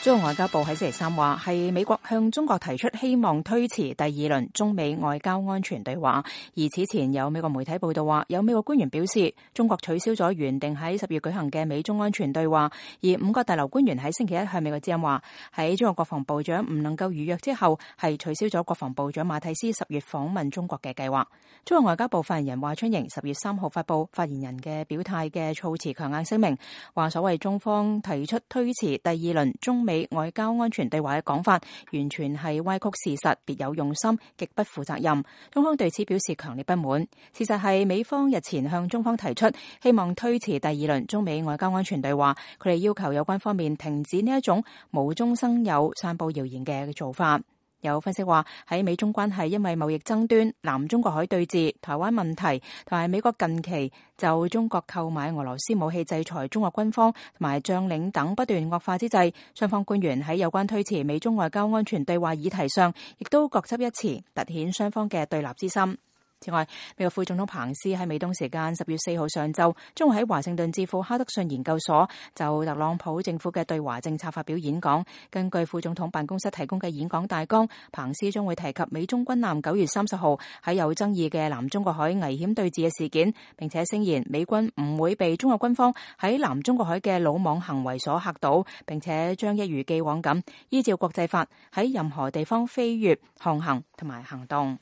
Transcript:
中國外交部喺星期三話，係美國向中國提出希望推遲第二輪中美外交安全對話。而此前有美國媒體報道話，有美國官員表示，中國取消咗原定喺10月舉行嘅美中安全對話。而5個大樓官員喺星期一向美國之音話，喺中國國防部長唔能夠預約之後，係取消咗國防部長馬蒂斯10月訪問中國嘅計劃。中國外交部發言人華春瑩10月3號發布發言人嘅表態嘅措辭強硬聲明，話所謂中方提出推遲第二輪中美外交安全對話嘅講法，完全係歪曲事實，別有用心，極不負責任。中方對此表示強烈不滿。事實係美方日前向中方提出希望推遲第二輪中美外交安全對話，佢哋要求有關方面停止呢一種無中生有、散布謠言嘅做法。有分析話，喺美中關係因為貿易爭端、南中國海對峙、台灣問題同埋美國近期就中國購買俄羅斯武器制裁中國軍方同埋將領等不斷惡化之際，雙方官員喺有關推遲美中外交安全對話議題上，亦都各執一詞，凸顯雙方嘅對立之心。此外，美國副總統彭斯喺美東時間10月4號上晝，將會喺華盛頓智庫哈德遜研究所就特朗普政府嘅對華政策發表演講。根據副總統辦公室提供嘅演講大綱，彭斯將會提及美中軍艦9月30號喺有爭議嘅南中國海危險對峙嘅事件，並且聲言美軍唔會被中國軍方喺南中國海嘅魯莽行為所嚇倒，並且將一如既往咁依照國際法喺任何地方飛越、航行同埋行動。